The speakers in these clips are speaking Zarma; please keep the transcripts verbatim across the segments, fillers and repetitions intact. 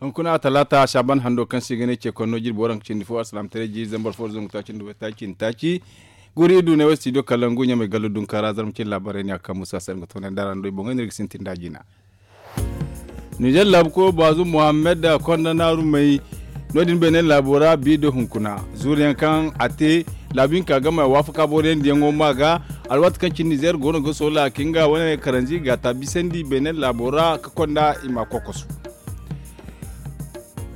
Hunkuna talaata saaban hando kaŋ se i ga ne ce konno jirbi waranka cindi fo alsilaamataray jiiri zambar fo zangu taaci nda way taaci nda taaci. Guri i du ne way studio kalangu ɲamay gallu dunkaara zarma cin laabaarey ne a kaŋ musa se nga toonay dara nda ay boŋey no iri ga sintin da jina. Nizer laabu koyo baazu muhammad konda naaru may. No- din beene laabo ra bi da hunkuna zuuriyaŋ kaŋ a te laabu hinka game a waafaka boro yaŋ diyaŋo ma ga. Alwaati kaŋ cine nizer go no ga soola ka nga wane karanzi ga ta bisandi beene laabo ra ka konda i ma kokosu.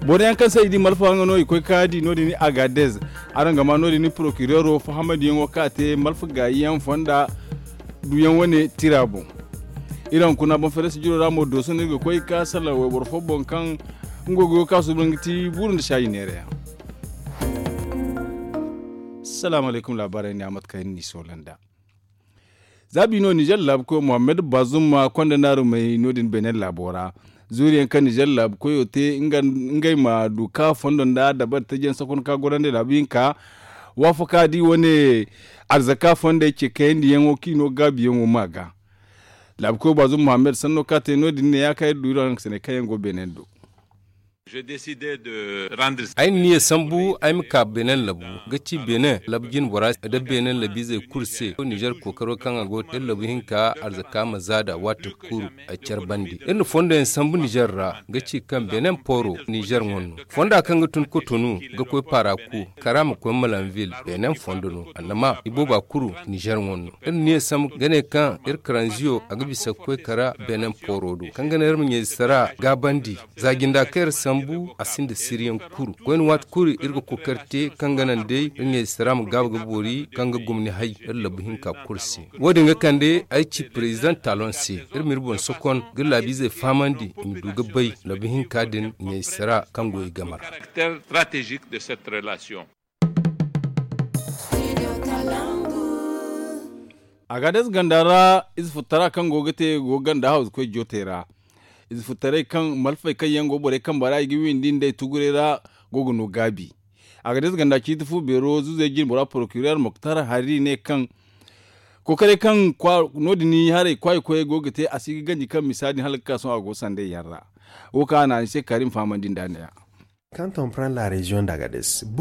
Boro yaŋ kaŋ se i di malfa nga no i koy ka di no- din agadez. Araŋ ga ma no- din porokireero fahamadiyaŋo kaŋ a te malfa gaayi yaŋ fonda duyaŋ wane tira boŋ. Iri hunkuna boŋ feere sijiro ra mo dooso no iri ga koy ka salaŋ wayboro fo boŋ kaŋ nga go ga yo ka suuban ga ti buuru nda saayi neera yaŋ. Salaamu alaykum laabaarey ne a mate kaŋ iri n'i soola nd'a. Za bi no nizer laabu koyo muhammad bazum ma konda naaru may no- din beene laabo ra. Zuuriyaŋ kaŋ nizer laabu koyo te ngey ma du ka fondo nda dabari taji yaŋ sokon ka gorandi laabu hinka. Waafaka di wane arzaka fondey ce kayandi yaŋo kaŋ i no gaabi yaŋo ma ga. Laabu koyo bazum muhammad sanno kaŋ a te no- din ne ya kaŋ iri du iri araŋ ga sanay kaŋ yaŋ go beene do. Ay na niya sambu ay ma ka benin labu ga ci benin labu jinbora nda benin labiizey kulu se nizer kookaro kaŋ a go te labu hinka arzaka ma zaada waati kulu. Ay care bande iri na fondo yaŋ sambu nizer ra ga ci kaŋ benin pooro nizer ŋwa no fonda kaŋ ga tun kotonu ga koy paaraku kara ma koy malanvil benin fondo no annama ibooba kulu nizer ŋwa no. Iri na niya sambu ga ne kaŋ iri karanziyo a ga bisa ga koy kara benin pooro do kaŋ ga naŋ iri ma ɲayzitara gaabandi. Za jinda kaŋ iri sambu a sinda siriyaŋ kuru koyne waati kulu iri ga kookari te kaŋ ga naŋ day iri ɲayzitara ma gaabu ga boori kaŋ ga gomni hay iri labu hinka kulu se. Wo- din ga kande ay ci president talon se iri ma iri boŋ sokon ga laabiizey fahamandi i ma du ga bay labu hinka din ɲayzitara kaŋ go i game ra. Agades ganda ra ize futtara kaŋ go ga te go ga ganda hawzu koy jootey ra. Ize futtaray kaŋ malfey kaŋ yaŋ go borey kambe ra i ga windi nd'ey tuguray ra go ga no gaabi. Agades ganda ciiti fu beero zuzey jinbora porokirer moktar hari ne kaŋ kookaray kaŋ no- din haray kwaayi koyey go ga te a si ga ganji kaŋ misa din hala ga ka sohõ a go sandey yaŋ ra. Wo kaŋ a naani se karim fahamandi nd'a ne- ya.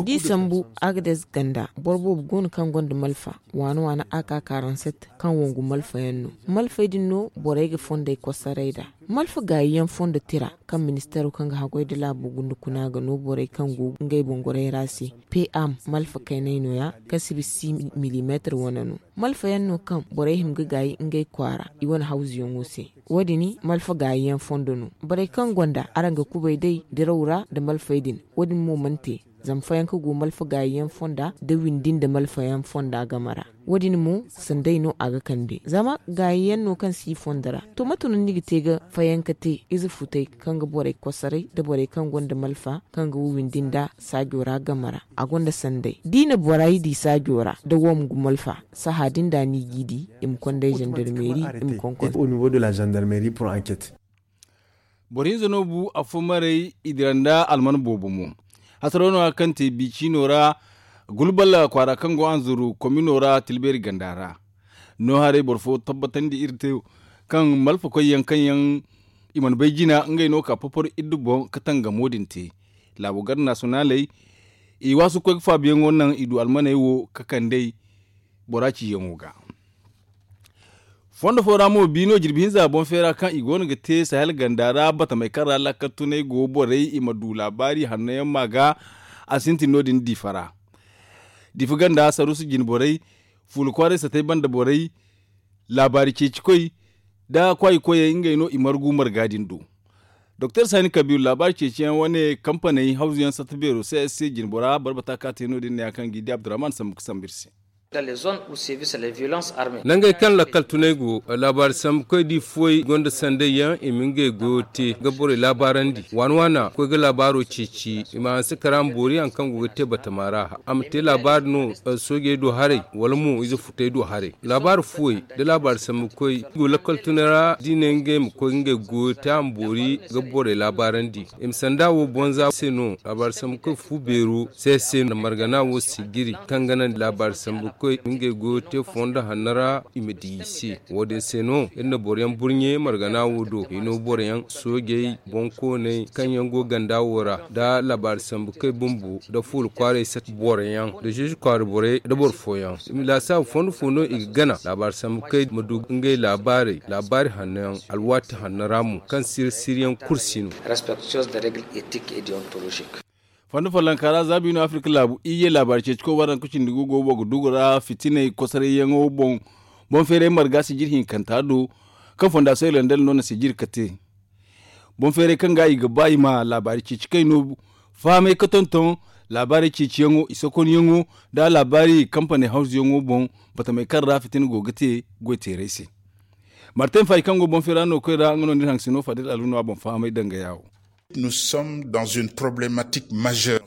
D'i sambu agades ganda boro boobo go no kaŋ gonda malfa waana waana a ka karanset kaŋ wangu malfa yaŋ no. Malfey din no borey ga fondey kosaray nd'a. Malfa gaayi yaŋ fondo tira kaŋ ministeero kaŋ ga haggoy nda laabo gunda kuna ga no borey kaŋ go ngey boŋ goray ra se. P m malfa kaynay no- ya kaŋ si bisa si milimeetar wane no. Malfa yaŋ no kaŋ borey hima ga gaayi ngey kwaara i wane hawzuyaŋo se. Wo- din malfa gaayi yaŋ fondo no. Borey kaŋ gonda araŋ ga kubay day diraw ra nda malfey din. Wo- din mo mana te zama fayanka go malfa gaayi yaŋ fonda nda windi nda malfa yaŋ fonda game ra. Wo- din mo sanday no a ga kande zama gaayi yaŋ no kaŋ si i fondo ra. To mate no ni ga te ga fayanka te ize futay kaŋ ga borey kosaray nda borey kaŋ gonda malfa kaŋ ga windi nda saajo ra game ra. A gonda sanday d'i na borey di saajo ra nda wo ma gumo alfa. Saha din da ni g'i di i ma konday zandarmeeri i ma konkon. Boro hinza no bu afo maray i dira nda alman boobo mo. Hasaro no- ya kaŋ te bi ciino ra gulbal kwaara kaŋ go hanzuru komino ra tilbeeri ganda ra. No haray boro fo tabbatandi iri te kaŋ malfakoy yaŋ kaŋ yaŋ i mana bay jina ngey no ka popor iddu boŋ ka tangamo din te. Laabo gar nasonaaley i waasu ga koy ga faabiyaŋo naŋ i du almaney wo ka kand'ey bora ciyaŋo ga. Fondo fo ra mo bi no jirbi hinza boŋ feera kaŋ i go no ga te sahel ganda ra batamey kaŋ ra laakal tunay go borey i ma du laabaari hanno yaŋ ma ga. A sintin no- din diifa ra diifa ganda saruusu jine borey fuula kwaaray satay banda borey laabaari ceecikoy nda kwaayi koyey ngey no i margu marga din do. Doktor sani kabiru laabaari ceeciyaŋ wane kampaney hawzuyaŋ satta beero c s c jinbora barbata ka te no- din ne ya kaŋ g'i di abdurrahman sambu ga sambu iri se. Nangey kaŋ lakkal tunay go laabaari sambukoy di fuwey gonda sanday yaŋ i ma ngey goyo te ga borey laabaarandi waana waana koy ga laabaaro ceeci i ma hanse kara ma boori hari kaŋ go ga te batama ra a ma te laabaari no soojey do haray wala mo ize futey do haray. Laabaari fuwey nda laabaari sambukoy i go lakkal tunay ra d'i ne ngey ma koy ngey goyo te a ma boori ga borey laabaarandi. I ma sanda wo bonza se no laabaari sambukoy fu beero se se nda margana wo sijiri kaŋ ga naŋ laabaari sambukoy koy ngey go ga te fondo hanno ra i ma di i se. Wo- din se no iri na boro yaŋ burɲe margana wo do i no boro yaŋ soojey boŋkooney kaŋ yaŋ go ganda wo ra nda laabaari sambu kay bumbo nda fuula kwaaray sat boro yaŋ nda zeezi kwaara borey nda boro fooyaŋ i ma laasaabu fondo fo no i ga gana laabaari sambu kay ma du ngey laabaarey laabaari hanno yaŋ alwaati hanno ra mo kaŋ siri siri yaŋ kulu si no. Fondo follonka ra za biino afirka laabu iyye laabaari ceeci koy waranka cindi gu go boro ga dugu ra fitiney kosorayyaŋo boŋ. Boŋ feeray marga sijir hinkanta do kaŋ fonda soylandel no na sijir ka te. Boŋ feeray kaŋ ga i ga ba i ma laabaari ceeci kay no fahamay ka tonton laabaari ceeciyaŋo i sokonyaŋo nda laabaari kampaney hawzuyaŋo boŋ batamey kaŋ ra fitina go ga te goyteeray se. Martin fay kaŋ go boŋ feera no koy ra nga no ni haŋ si no fadil alhuno a boŋ fahamay danga yaawo.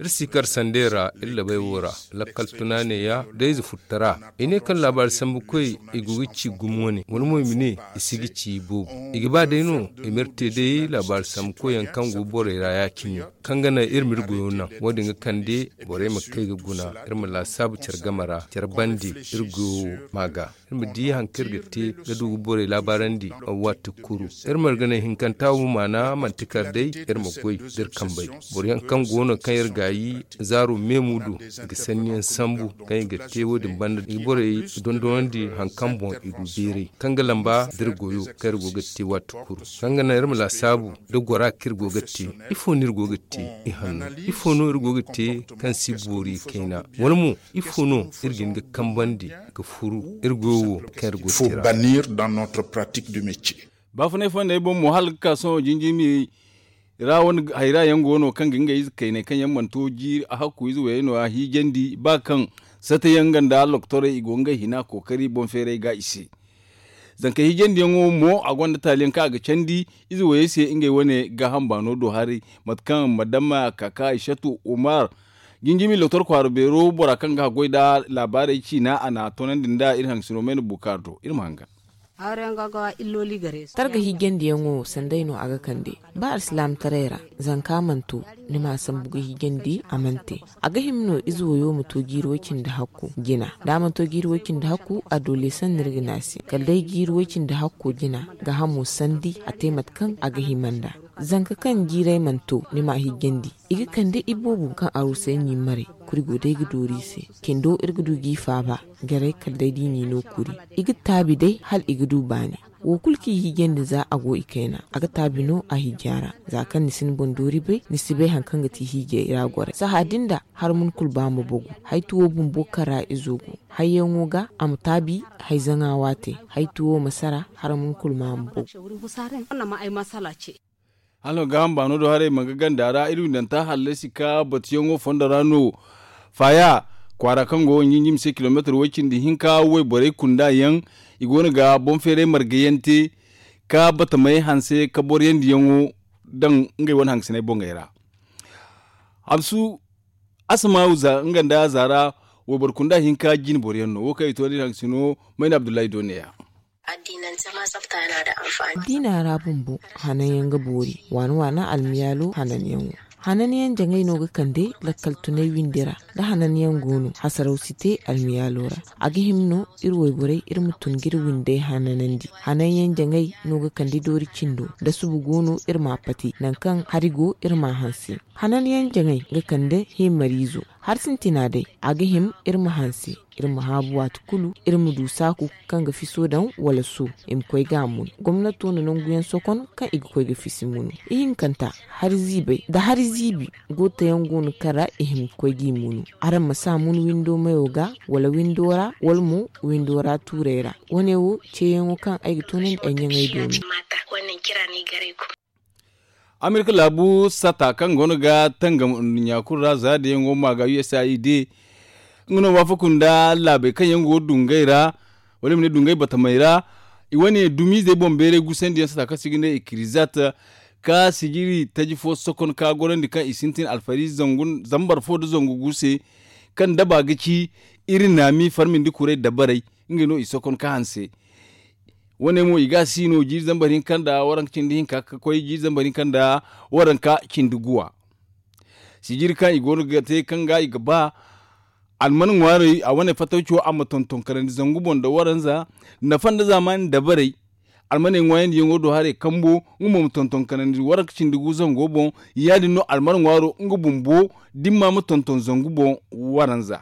Iri si kar sandey ra iri labay wo ra lakkal tuna neeya da ize futtara i ne kaŋ laabaari sambu koy i go ga ci gumo wane wala mo i ma ne i si ga ci i boobo i ga ba day no i ma iri te day laabaari sambu koy yaŋ kaŋ go borey ra ya- cine kaŋ ga naŋ iri ma iri goyo naŋ wo- din ga kande borey ma kay ga guna iri ma laasaabu care game ra care bande iri goyo wo ma ga iri ma di hari kaŋ iri ga te ga du ga borey laabaarandi waati kulu iri marganay hinkanta wo maana manti kar day iri ma goy da iri kambey boro yaŋ kaŋ go no kaŋ iri gaayi zaaro meemu du i ga sanni yaŋ sambu kaŋ i ga te wo- din banda i ga borey dondonandi hari kaŋ boŋ i du beeray kaŋ ga lamba da iri goyo kaŋ iri go ga te waati kulu kaŋ ga naŋ iri ma laasaabu da gora kaŋ iri go ga te ifo no iri go ga te i hanno ifo no iri go ga te kaŋ si boori kayna wala mo ifo no iri ga hin ga kambandi ga furu iri goyo wo kaŋ iri go ga te ra. Baafunay fondey boŋ mo hala ga ka sohõ jinjimi ra wane hayra yaŋ go no kaŋ ga ngey ize kayney kaŋ yaŋ mana to jiiri a hakku ize wayey no- ya hiijandi ba kaŋ sata yaŋ nga nda loktorey i go ngey hina kookari boŋ feeray ga i se. Zanka hiijandiyaŋo mo a gonda taali yaŋ kaŋ a ga candi ize wayey se ngey wane gaaham baano do haray mate kaŋ madama kaka ishatu umar jinjimi loktor kwaara beero bora kaŋ ga haggoy nda laabaarey ciina a n'a toonandi nda iri haŋ sino mayna bukaar do iri ma hangan. Targa hiijandiyaŋo sanday no a ga kande ba alsilaamataray ra zanka mana to ni ma a sambu ga hiijandi a mana te. A ga hima no ize wayo ma to jiiri way-cindi hakku jina da a mana to jiiri way-cindi hakku a doole sanni iri ga ne a se kala day jiiri way-cindi hakku jina gaahamo sandi a te mate kaŋ a ga hima nd'a. Zanka kaŋ jiiray mana to ni ma a hiijandi i ga kande iboobo kaŋ arusay n'i maray kuri go day ga dooru i se cindo iri ga du g'i faaba. Jaray kala day da i n'i no kuri i ga taabi day hala i ga du baani. Wo kulu kaŋ i hiijandi za a go i kayna a ga taabi no a hiija ra. Za kaŋ ni si ni boŋ doori bay ni si bay hari kaŋ ga ti hiijay ra goray saha din da hari mun kulu ba ma bogu. Haytuwo bumbo kaŋ ra izo go hayyaŋo ga a ma taabi. Hayzaŋa waate haytuwo ma sara hari mun kulu ma ma bogu. Hala no gaaham baano do haray ma nga ganda ra iri windanta hallasi ka batuyaŋo fondo ra no. Faaya kwaara kaŋ go ga ɲinjim se kilomeetar way-cindi hinka wayborey kunda yaŋ i go no ga boŋ feeray marga yaŋ te ka batamey hanse ka boroyandiyaŋo daŋ ngey wane hangasiney boŋey ra. Hamsu asamaawu nga nda zaara wayboro kunda hinka jine boroyaŋ no wo kaŋ i to da iri hangasino mayna abdullahi do neeya. Addiina ra bumbo hananyaŋ ga boori waana waana almiyaalo hananyaŋo. Hananyaŋ jaŋay no ga kande lakkal tunay windi ra da hananyaŋ go no hasaraw si te almiyaalo ra. A ga hima no iri wayborey iri ma tun ga iri windey hananandi. Hananyaŋ jaŋay no ga kande doori cindo da subu go no iri ma a pati nangu kaŋ hari go iri ma a hanse. Hananyaŋ jaŋay ga kande heemariizo. Hari sintina day a ga hima iri ma hanse iri ma haabu waati kulu iri ma du saaku kaŋ ga fiso daŋ wala so i ma koy ga a mun. Gomnato na nanguyaŋ sokon kaŋ i ga koy ga fisi munu. Ihinkanta hari ziibay nda hari ziibi gootayaŋ go no kaŋ ra i hima ga koy g'i munu. Araŋ ma si a mun windo mayo ga wala windo ra wala mo windo ra tuurey ra. Wane wo ceeyaŋo kaŋ ay ga toonandi ay ɲaŋey do no. Amerika laabu sata kaŋ go no ga tangam nduɲɲa kulu ra za da yaŋ go ma ga usaid nga no waafaku nda laabey kaŋ yaŋ go dungay ra wala i ma ne dungay batamey ra. I wane dumiizey boŋ beeray gusandi yaŋ sata kaŋ se i ga ne ikirizat ka sijiri taji fo sokon ka gorandi kaŋ i sintin alfari zambar fo nda zangu gu se kaŋ daba ga ci iri naami farmindi kuray dabarey. Ngey no i sokon ka hanse. Wane mo i ga a si no jiiri zambar hinka nda waranka cindi hinka ka koy jiiri zambar hinka nda waranka cindi guwa. Sijiri kaŋ i go no ga te kaŋ ga i ga ba Alman ŋwaarey a wane fatawco a ma tonton kanandi zangu boŋ nda waranza, nafa nda zaamaani dabarey. Almaney ŋwaayandiyaŋo do haray kambo, nga mo ma tonton kanandi waranka cindi gu zango boŋ. Ya- din no alman ŋwaaro nga bumbo dimma ma tonton zangu boŋ waranza.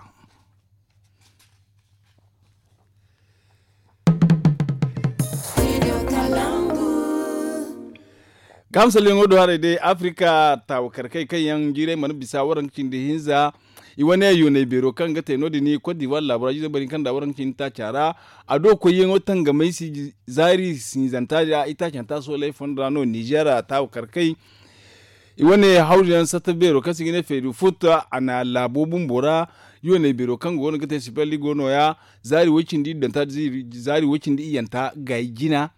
Gaaham salleyaŋo do haray day afirika taawakarkey kaŋ yaŋ jiiray mana bisa waranka cindi hinza. I wane yoonay beero kaŋ ga te no- din kote divuwar laabura jiizo bari kaŋ da waranka cindi taaca ra. A do koyyaŋo tangamay si zaari sinzanta da itaacanta soolay fondo ra no nizeer taawakarkey. I wane hawru yaŋ satta beero kaŋ se i ga ne feedu futta a na laabo bumbo ra. Yoonay beero kaŋ go no ga te sipel i go no- ya zaari way cindi iddanta zaari way cindi iyyanta gaayi jina.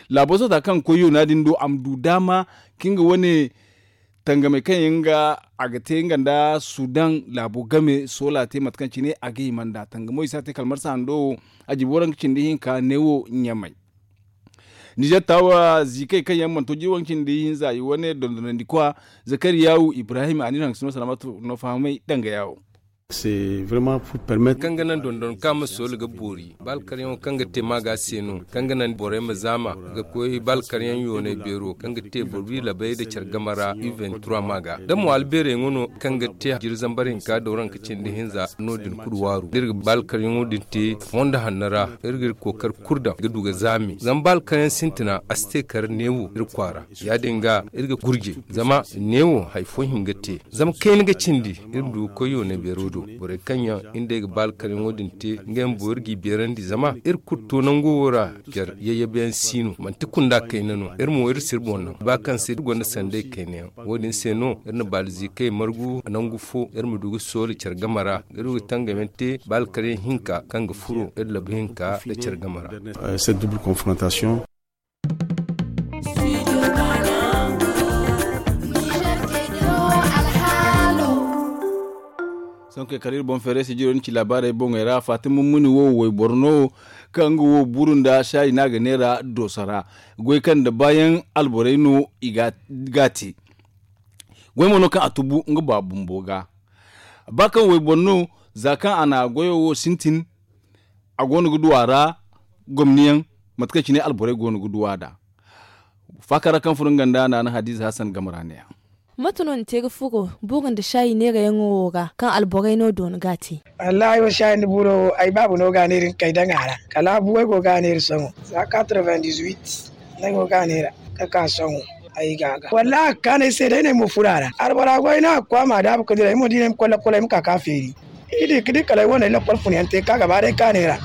Laabo sata kaŋ koy yoona din do a ma du daama ka nga wane tangamey kaŋ yaŋ ga a ga te nga nda sudan laabo game soola te mate kaŋ cine a ga hima nd'a tangamo i si a te kala marsa hando wo. A jibo waranka cindi hinka neewo ɲamay. Nizeer taawa ziikey kaŋ yaŋ mana to jibo waranka cindi hinza i wane dondonandi kwa zakariyawu ibrahim a na iri haŋ ga sino salaamatu no fahamay danga yaawo. Kaŋ ga naŋ dondon kaŋ a ma soolu ga boori ba alkaryaŋo kaŋ ga te maaga se no kaŋ ga naŋ borey ma zaama ga koy ba alkaryaŋ yoonay beero kaŋ ga te boro wi labay nda care game ra u vingt trois maaga da mo albeerey ŋwa no kaŋ ga te jiri zambar hinka dooranka cindi hinza no- din kulu waaru da iri ga ba alkaryaŋo din te fondo hanno ra. Iri ga iri kookari kulu daŋ ga du ga zaami zama ba alkaryaŋ sintina a si te kala neewo iri kwaara. Ya- din ga iri ga gurje zama neewo hari fo hima ga te zama kayna ga cindi iri ma du ga koy yoonay beero do. Borey kaŋ yaŋ iri nd'ey ga ba alkaryaŋo din te ngey bumbo iri g'i beerandi zama iri kulu to nango wo ra. Care yayyabeyaŋ si no manti kunda kayna no iri mo iri si iri boŋ naŋ ba kaŋ se iri gonda sanday kayna yaŋ. Wo- din se no iri na baaliziikey margu nangu fo iri ma du ga soola care game ra ga du ga tangam yaŋ te ba alkaryaŋ hinka kaŋ ga furo iri labu hinka nda care game ra. Sohõ kay kala iri boŋ feeray sijiro ni ci laabaarey boŋey ra faati mummuni wo wayboro no kaŋ nga wo buru nda saayi no a ga neera dooso ra. Goy kaŋ nda baayaŋ alborey no i ga a te. Goy mo no kaŋ a tubu nga ba bumbo ga ba kaŋ wayboro no za kaŋ a na goyo wo sintin. A go no ga du a ra gomni yaŋ mate kaŋ cine alborey go no ga du a nd'a. Faakara kaŋ furo nga nda naana hadiza hasan game ra ne ya. Mate no ni te ga furo buuro nda saayi neerayaŋo wo ra kaŋ alborey no doona ga a te? Wallaahi wo saayi nda buuro wo ay baaba no ga a neera nga kay daŋ a ra kala a buwey go ga a neera sohõ za quatre-vingt-dix-huit. Ay go ga a neera ka ka sohõ. Ay ga a ga wallaahi a ga kaanu ay se day no ay mo furo a ra albora goy no a ga koy a ma a daabu ga dira ay mo da i ne ay ma koy lakkol ay ma ka ka feeri. I di ga di kala ay wane lakkol fun yaŋ te ka gaba day ka neera.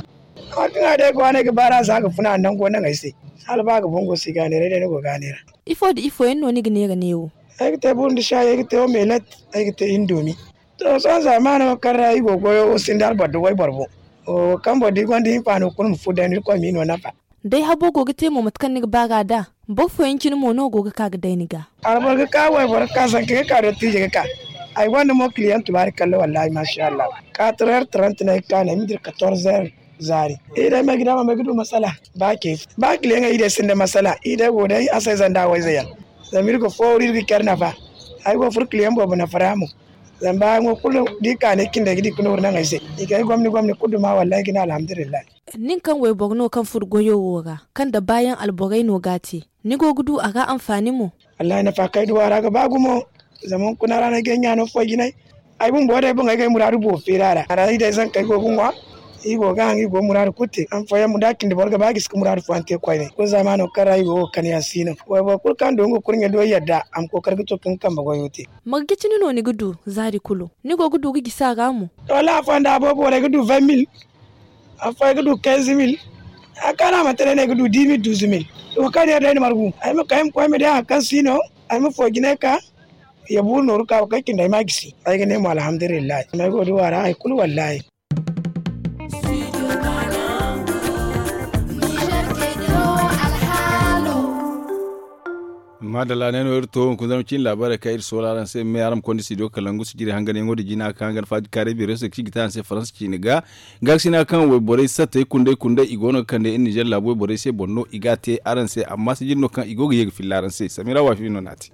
Amma kaŋ a day ga waaney ga baara za ga funa a nango naŋ ay se. Hala ba ga boŋ go si ga neera ay day ni go ga neera. Ifo nda ifo yaŋ no ni ga neera neewo? Ay ga te buru nda saayi ay ga te wo meelat. Ay ga te indomi. To sohõ zaamaano kaŋ ra i go goyo wo sinda alboro da wayboro boŋ. Wo kaŋ boro da i gonda hinfaano kulu ma furo day no irkoy ma i no nafa. Day habo go ga te mo mate kaŋ ni ga ba ga nd'a. Boro fooyaŋ cine mo no go ga ka ga day ni ga. Alboro ga ka wayboro ga ka zanka ga ka dottiije ga ka. Ay gonda mo kiliyaŋ tubaari kalla wallaahi maasa allah. Kaatreer trant no ay ga ka no ay ma dira katorzeer. Zaari i day ma ay ga daama ma ay ga du masala. Ba kiliyaŋey i day sinda masala i day go day a se zanda wayze yaŋ. Zama iri ga fooru iri ga care nafa. Ay go ga furo kiliyaŋ boobo nafa ra mo. Zama baayaŋo kulu da i ka ne cindey ga di ga nooru naŋ ay se. I ga ay gomni gomni kulu duma wallaahi ay ga ne alhamdulillahi. Nin kaŋ wayboro no kaŋ furo goyo wo ra kaŋ da baayaŋ alborey no ga a te, ni go ga du a ra anfaani mo? Wallaahi nafa kaŋ ay du a ra ga ba gumo. Zama hunkuna ra no ay ga ay ɲaano foy jinay. Ay bumbo day boŋ ay ga ay muraadu boobo feeri a ra a ra i day zankey go ga ŋwa. I go ga haŋ i go ga muraadu kulu te han fooyaŋ mo da a cindi boro ga ba gisi ga muraadu fooyaŋ te koyne kulu zaamaano kaŋ ra i go ga kande yaŋ si no. Wayboro kulu kaŋ du nga kurɲe do yadda a ma kookari ga to ka nga kambe goyo te. Marje cine no ni ga du zaari kulu? Ni go ga du ga gisi a ra mo? Wallaahi afooyaŋ da a boobo wala ay ga du vingt mille. Afooyaŋ ay ga du quinze mille. A kaana manti day no ay ga du dix mille douze mille. Wo kaŋ day day na margu ay ma kay ay ma koy ay ma di hari kaŋ si no. Ay ma foo jinay ka ya buuru nooru ka wo kaŋ cindi ay ma a gisi ay ga ne mo alhamdulillahi ay go ga du a ra hari kulu wallaahi. Maadalla ne no iri to hunkuna zama cin laabaarey kaŋ iri soola araŋ se me araŋ ma konda studio kalangu sijiri hanganyaŋo da jina kaŋ hangan faadi kaaray beero se kaŋ i ga te araŋ se faransa ciine ga. Gaakasina kaŋ wayborey sattey kunday kunday i go no ga kande iri ninzeer laabu wayborey se boŋ no i ga a te araŋ se amma sijiri no kaŋ i go ga ye ga filla araŋ se samira waafi no n'a te.